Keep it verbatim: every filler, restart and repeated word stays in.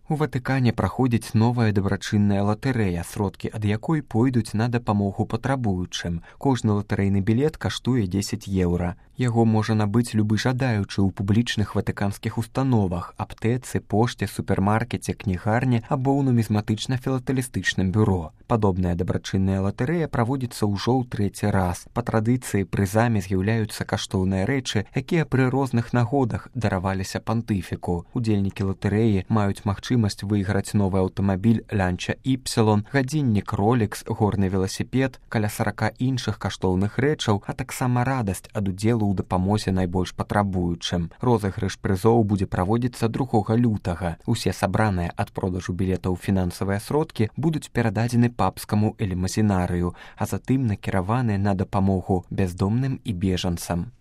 У Ватыкане праходзіць новая дабрачынная латарэя, сродкі ад якой пойдуць на дапамогу патрабуючым. Кожны латарэйны білет каштуе дзесяць еўра. Яго можа набыць любы жадаючы ў публічных ватыканскіх установах, аптэцы, пошце, супермаркеце, кнігарні або ў нумізматычна-філатэлістычным бюро. Падобная дабрачынная латарэя праводзіцца ўжо ў трэці раз. Па традыцыі прызамі з'яўляюцца каштоўныя рэчы, якія пры розных нагодах дараваліся пантыфіку. Удзельнікі латарэі маюць магчымасць выйграць новы аўтамабіль Lancia Y, гадзіннік Rolex, горны веласіпед, каля сарака іншых каштоўных рэчаў, а таксама радасць ад удзелу ў дапамозе найбольш патрабуючым. Розыгрыш прызоў будзе праводзіцца другога лютага. Усе сабраныя ад продажу білетаў фінансавыя сродкі будуць перададзены папскаму элемазінарыю, а затым накіраваны на дапамогу бяздомным і бежанцам.